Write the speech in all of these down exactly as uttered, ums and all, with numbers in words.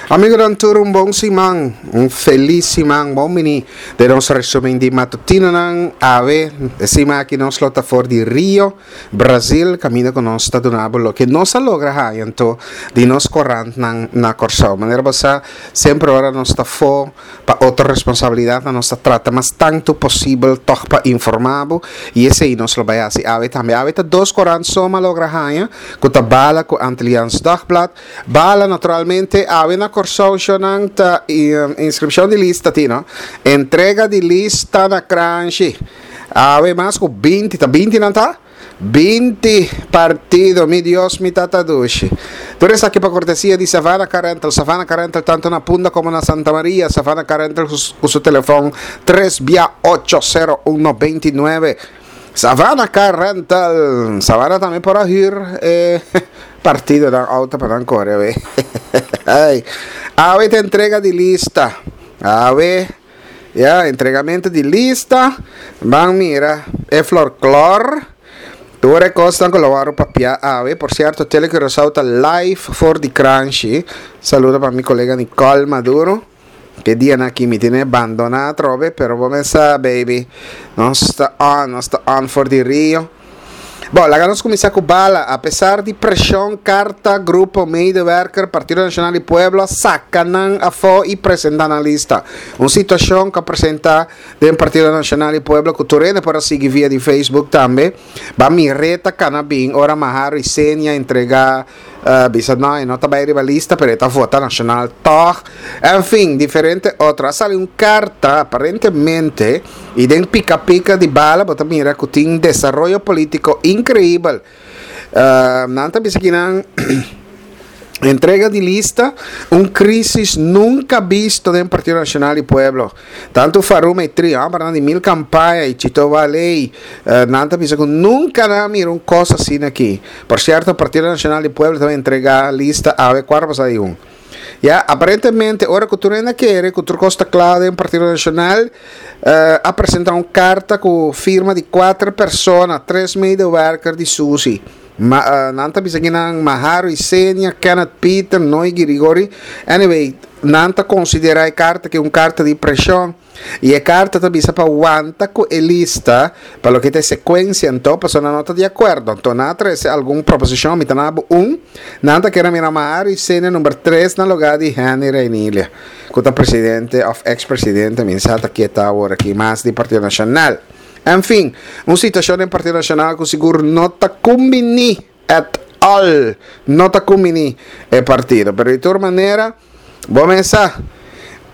Amigonan tur un bon siman, un felis siman, bon bini den nos resumen di matutinonan. Awe, e siman aki nos lo ta for di Rio, Brazil, kaminda ku nos ta duna bo loke nos a logra haña anto di nos korantnan na Kòrsou. Manera bo sa, semper ora nos ta afó pa otro responsabilidatnan nos ta trata mas tantu posibel tòg pa informá bo i esei nos lo bai hasi awe tambe. Awe ta dos korant so mi a logra haña, ku ta Bala ku Antilliaans Dagblad. Bala naturalmente awe na Kòrsou shownan ta inskripshon di lista tin no. Entrega di lista na Kranshi. Awe mas ku binti, ta binti nan ta? Binti partido, mi Dios mi tata dushi. Tur esaki pa kortesia di Savannah Car Rental. Savannah Car Rental tanto na Punda komo na Santa Maria. Savannah Car Rental ku su telefòn tres bia ocho sero uno beinti nuebe. Savannah Car Rental. Savannah tambe por a hür e partidonan auto pa nan kore awe. Ay. Awe ta entrega di lista. Awe, ya, entregamento di lista. Ban mira e florklor. Tur e kosnan ku lo wòrdu papia awe. Por sierto, Tele Curaçao ta live for di Kranshi. Saludo pa mi kolega Nicole Maduro. Ke dianan aki mi tene bandoná atrobe, pero bo mes sa, baby. Nos ta on, nos ta on for di Rio. Bo, laga nos kuminsá ku bala. Apesar di preshon, karta, grupo, medewerker, Partido Nashonal di Pueblo a saka nan afó i presentá nan lista. Un situashon ku a presentá den Partido Nashonal di Pueblo ku tur hende por a sigui via di Facebook tambe. Ba mir'é ta kana bin ora Maharo i Senia entregá Bisa no, e no ta bai riba lista, pero e ta vota nashonal tòg. En fin, diferente otro. A sali un karta, aparentemente, i den pika pika di bala bo ta mira ku tin desaroyo polítiko inkreibel. Nan ta bisa kinan entrega di lista, un krísis nunka bisto den Partido Nashonal di Pueblo. Tantu Faruma i Tri, hòmbernan di mil kampaña i Chito Valey, nan ta bisa ku nunka nan a mira un kos asina aki. Por sierto, Partido Nashonal di Pueblo ta entregá lista awe kuater pasá di un. Ya, aparentemente ora ku tur hende a kere ku tur kos ta kla den Partido Nashonal, a presentá un karta ku firma di kuater persona, tres medewerker di Susi. Ma, nan ta bisa kinan Maharo Isenia, Kenneth Peter, Noy Girigori. Anyway, nan ta konsiderá e karta ke un karta di preshon. I e karta ta bisa pa wanta ku e lista pa loke ta e sekuensia anto, pasobra nan no ta di akuerdo. Anto nan a trese algun proposishon, mi ta na bo un. Nan ta kere mira Maharo Isenia number tres na lugá di Henny Reinilia, ku ta presidente òf eks presidente, mi sa ta kieta awor aki mas di Partido Nashonal. En fin, un situacion den Partido Nacional cu sigur no ta cumbini at all, no ta cumbini e partido. Pero di tur manera, bo mes sa,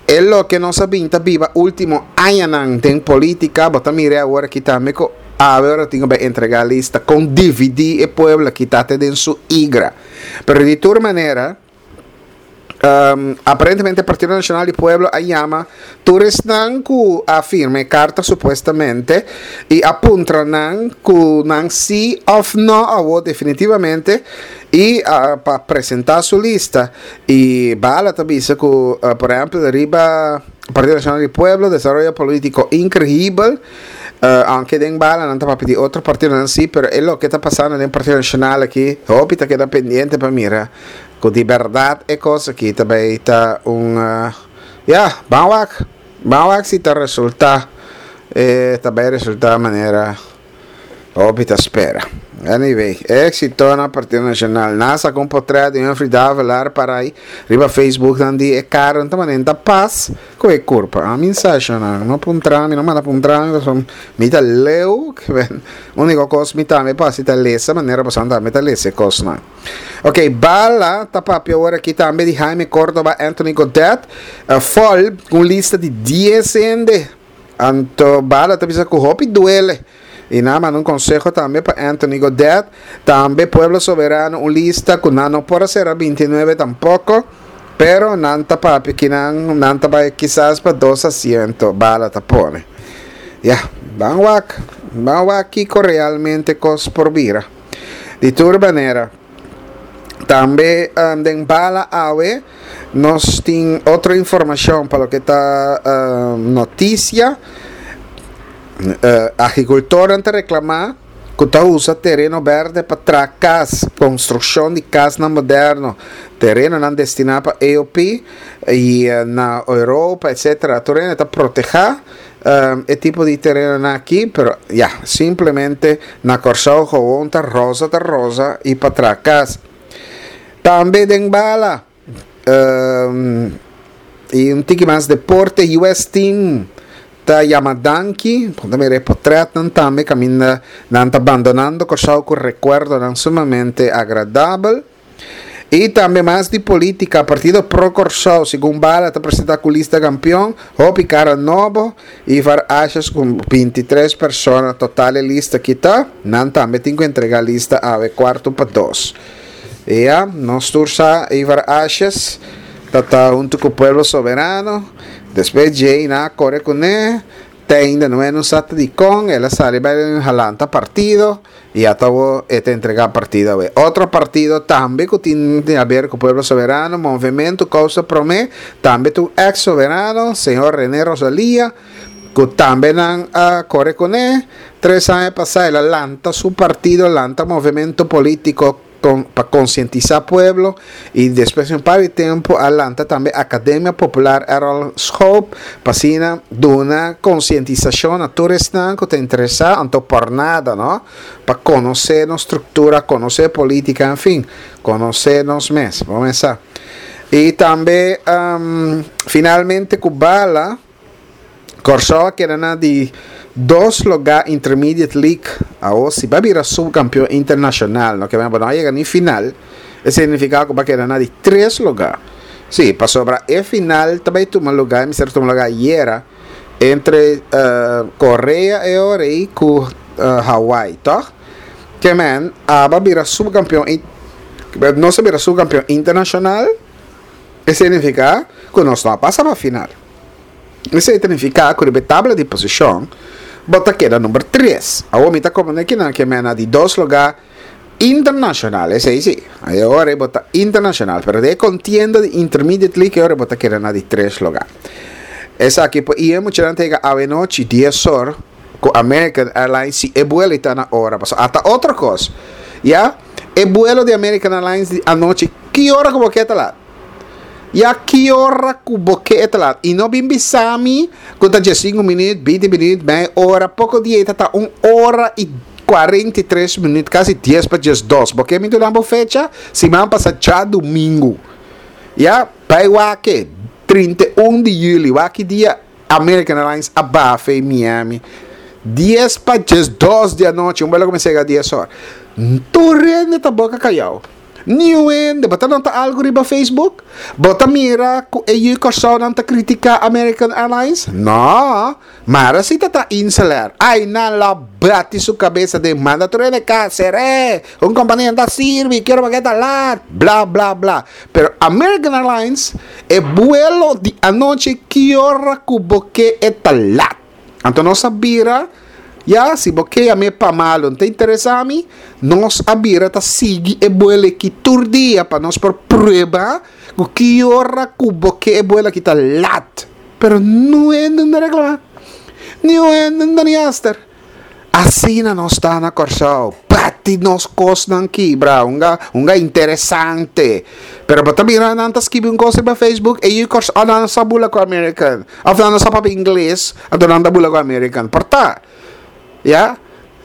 e loke nos a bin ta biba ultimo añanan den politica, bo ta mira e awor aki tambe cu awe ora tin cu bay entrega lista con dividi e pueblo aki ta te den su igra. Pero di tur manera, Um, aparentemente Partido Nacional di Pueblo a yama tur esnan ku a firma e karta supuestamente i a puntra nan ku nan sí of no awo definitivamente i uh, pa presenta su lista. I Bala ta bisa ku, uh, por ehempel, riba Partido Nacional di Pueblo, desaroyo polítiko inkreibel, uh, aunke den Bala nan ta papia di otro partidonan sí, pero e loke ta pasando den Partido Nacional aki, hopi ta keda pendiente pa mira Ku di bèrdat e kos aki ta bai ta un ya, ban wak, ban wak si ta resultá, e ta bai resultá manera hopi ta spera. Anyway, éksito na Partido Nashonal. Nan a saka un potrèt di Humphrey Davelaar para ai riba Facebook nan di e kara nan ta manera ta pas ku e kurpa. Ami sa shona, no puntra mi, no manda puntra mi pasobra mi ta leu, úniko kos mi tambe por hasi ta lesa manera pasobra mi tambe ta lesa e kosnan. Ok, Bala ta papia awor aki tambe di Jaime Cordoba, Anthony Godet, uh, Fol, un lista di dies hende. Anto Bala ta bisa ku hopi duele. I nan manda un konseho tambe pa Anthony Godet. Tambe Pueblo Soberano un lista ku nan no por a sera binti nuebe tampoko. Pero nan ta papia ki nan, nan ta bai kisas pa dos asiento, Bala ta pone. Ya, ban wak, ban wak kiko realmente kos por bira. Di tur manera, tambe den bala awe nos tin otro informashon pa loke ta notisia. Agrikultornan ta reklamá ku ta usa tereno berde pa traha kas, konstrukshon di kasnan moderno. Terenonan destiná pa E O P i na Europa, et cetera. Tereno ta protehá um, e tipo di tereno aki, pero ya, simplemente na Kòrsou gewoon ta rosa ta rosa i patras. Tambe den bala. Um, i un tiki mas deporte, U S Team ta yama danki, tambe portrèt tambe kaminda nan ta bandonando Kòrsou ku rekuerdonan sumamente agradabel. I tambe mas di polítika, Partido Pro Kòrsou, segun Bala, ta presentá ku lista kampeon, hopi kara nobo, Ivar Asjes ku bintitres persona, total e lista ku ta, nan tambe tin ku entregá lista a kuartu pa dos. I ya, nos tur sa, Ivar Asjes, ta, ta huntu ku Pueblo Soberano, despues dje nan a kore kuné, te ainda no e sa di kon, el a sali bai lanta partido, i ata e ta entregá partido. Otro partido tambe ku tin di aber ku Pueblo Soberano, Movementu Kousa Promé, tambe tur ex-soberano, señor René Rosalia, ku tambe nan a kore kuné, tres aña pasá, el a lanta su partido, lanta movementu polítiko pa konsientisá pueblo i despues di un par di tempu a lanta tambe Akademia Popular Errol Schoop pa asina duna konsientisashon na tur esnan ku ta interesá, anto por nada, no, pa konosé nos struktura, konosé polítika, en fin, konosé nos mes. Ban kuminsá. I tambe um, finalmente ku bala, Kòrsou a keda na di dos lugá Intermediate League. Awor, si bai bira supkampeon internashonal, no, ku no yega ni final, esei ta nifiká ku bai keda na di tres lugá. Sí, pasobra e final tambe tuma lugá, mester tuma lugá ayera, entre uh, Korea i Ore ku uh, Hawaii, toch? Ke men, abo bira supkampeon, nos bira supkampeon internashonal, esei ta nifiká ku nos no a pasa pa final. Esei ta nifiká ku e tabla di posishon, bo ta keda number tres. Awor mi ta komo aki na ke men di dos lugá internashonal, esei sí. Awor bo ta internashonal, pero den kontienda di Intermediate League awor bo ta keda na di tres lugá. Esaki i e mucha yega anochi dies or ku American Airlines, si e vuelo ta na ora. Paso ata otro kos. Ya, e vuelo di American Airlines di anochi, ki ora ku ta laat? Ya, ki ora ku bo ke ta laat? I no bin bisami ku ta sinku minüt, binti minüt, mei ora, poko dia ta un ora i kuarenta i tres minüt, kasi dies pa dos. Paske mi ta fecha, siman pasá djadumingu. Ya, bai wak, trinta i un di yüli, wak dia American Airlines a baha Miami. dies pa dos di anochi, un vuelo ku yega dies or. Tur hende ta boka kayá. Niun hende, bo ta nota algu riba Facebook? Bo ta mira ku e yu nan ta kritiká American Airlines? No, mara si ta InselAir. Ai, nan la bati su kabes den manda tur hende kas, un kompania ta sirbi, ke ora ta laat, bla bla bla. Pero American Airlines, e vuelo di anochi, ki ora ku bo ke e ta laat. Anto nos a bira, ya, si bo ke yam'é pa malu, ta interesá mi, nos a bira ta sigui e vuelo aki tur dia pa nos por prueba ku ki ora ku bo ke e vuelo aki ta laat. Pero no e no reklamá. Ni no ni aster. Asina nos ta na Kòrsou. Bati nos kosnan kibra, un un interesante. Pero bo ta mira nan ta skibi un kos riba Facebook e yu Kòrsou, ah, nan sa bula ku American. Òf nan sa papia ingles, anto nan ta bula ku American. Porta. Ya?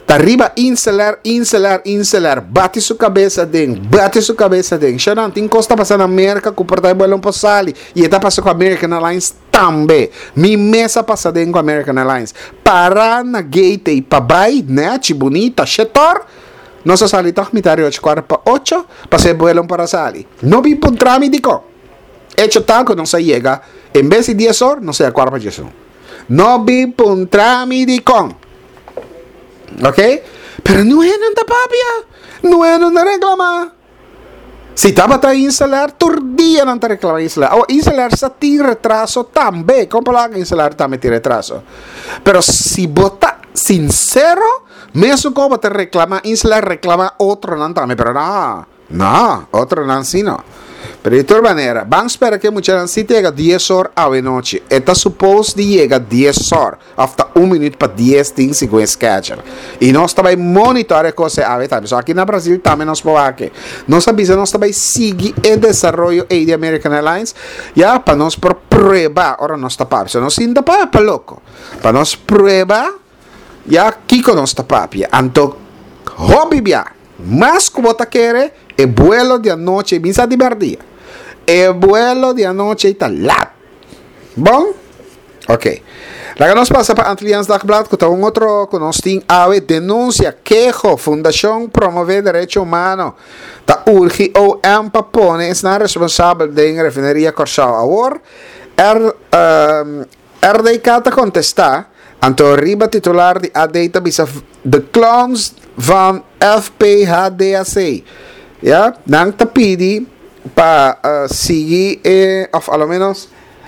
Ta riba InselAir, InselAir, InselAir. Bati su kabes den, bati su kabes den. Shanan, tin kos ta pasa na Amérika ku por ta vuelo por sali. I ta pasa ku American Airlines tambe. Mi mes a pasa den ku American Airlines. Para na gate i pa bai, nèchi, bunita, shetor. Nos a sali toch mitar ocho, kuartu pa ocho, pa e vuelo por sali. No bin puntra mi dikon. Hecho ta ku nos a yega, en bes di dies or, nos a kuartu pa dies. No bin puntra mi dikon. Ok? Pero no e ta papia. No e no reklamá. Si tabata InselAir, tur dia nan ta reklamá InselAir. Oh, InselAir sa tin retraso tambe. Kon ku InselAir tambe tin retraso? Pero si bo ta sinsero, mesun kon ta reklamá InselAir, reklamá otronan tambe. Pero no, no, otronan sí no. Pero di tur manera, ban spera ku muchanan si yega dies or anochi. E ta supposed di yega dies or, after un minuut pa dies tin segun schedule. I nos tambe monitor e kos awe tambe. So aki na Brasil tambe nos por aki. Nos a bisa, nos tambe sigui e desaroyo di American Airlines, ya pa nos por prueba, ora nos ta papia. So nos sinta pa pa loko. Pa nos prueba, ya kiko nos ta papia. Anto, hopi bia, mas ku bo ta kere, e vuelo di anochi, mi sa di berdia. E vuelo di anochi ta lat. Bon? Ok. Laga nos pasa pa Antilliaans Dagblad, ku ta un otro ku nos tin awe: denunsia, keho, Fundashon Promové Derecho Humano ta urgi O M pa pone esnan responsabel den refineria Kòrsou. Awor, R, um, R D K ta kontestá, anto riba titular di A D ta bisa "De clowns van F P H D A C". Ja, nan ta pidi pa uh, sigui eh, òf alo menos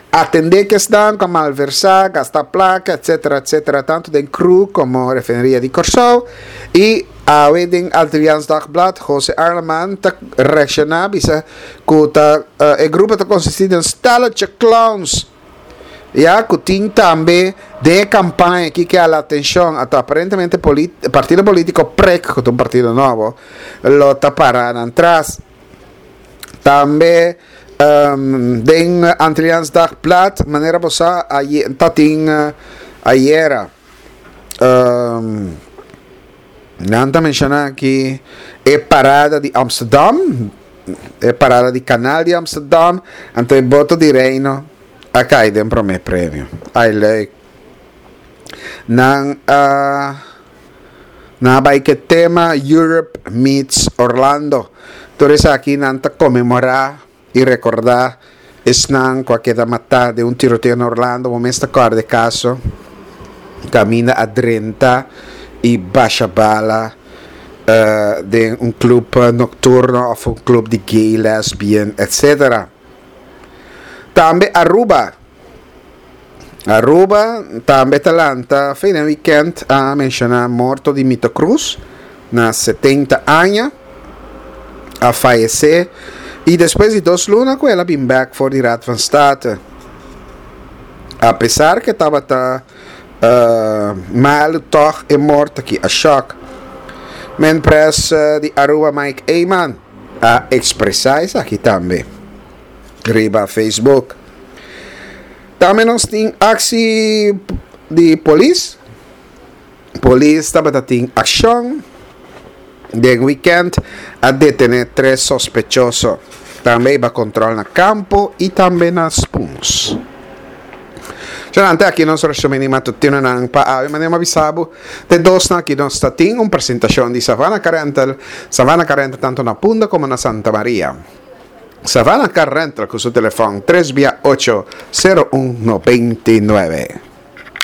atendé ku esnan ku malversá, gasta plaka, et cetera, et cetera, tantu den C R U komo refineria di Kòrsou. I awe den Antilliaans Dagblad, José Arleman ta reakshoná, bisa ku ta, uh, e grupo ta konsistí di un stelletje clowns. Ya, ku tin tambe den kampaña aki ku hala atenshon, ata aparentemente polit partido polítiko PREC, ku ta un partido nobo, lo ta pará atras. Tambe um, den Antilliaans Dagblad, manera bo sa, tatin uh, ayera um, nan ta menshoná aki e parada di Amsterdam, e parada di Kanal di Amsterdam, anto e boto di Reino a kai den promé premio. Ai, leuk. Nan uh, na bai ku tema "Europe meets Orlando". Tur aki nan ta konmemorá i rekordá esnan ku a keda matá den un tiroteo na Orlando, momento ta kaso kaminda a drenta i basha bala uh, den un klup nokturno òf un klup di gay, lesbian, et cetera. Tambe Aruba. Aruba tambe ta lanta fin di weekend a menshoná morto di Mito Cruz na setenta aña, a fayesé i despues di dos luna ku el a bin back for di Raad van State. Apesar ku tabata uh, malu, toch e morto aki a shock. Men pres uh, di Aruba Mike Eman a ekspresá esaki tambe riba Facebook. Tambe nos tin akshon di polis. Polis tabata tin akshon den weekend, a detené tres sospechoso. Tambe a kontrol na Campo i tambe na Spoons. Anto aki nos resumen matutino nan pa awe, manera m'a bisa bo de dos na aki nos tin un presentashon di Savannah Car Rental, Savannah Car Rental tantu na Punda komo na Santa Maria. Savannah Car Rental ku su telefòn tres ocho sero un nobenta i nuebe.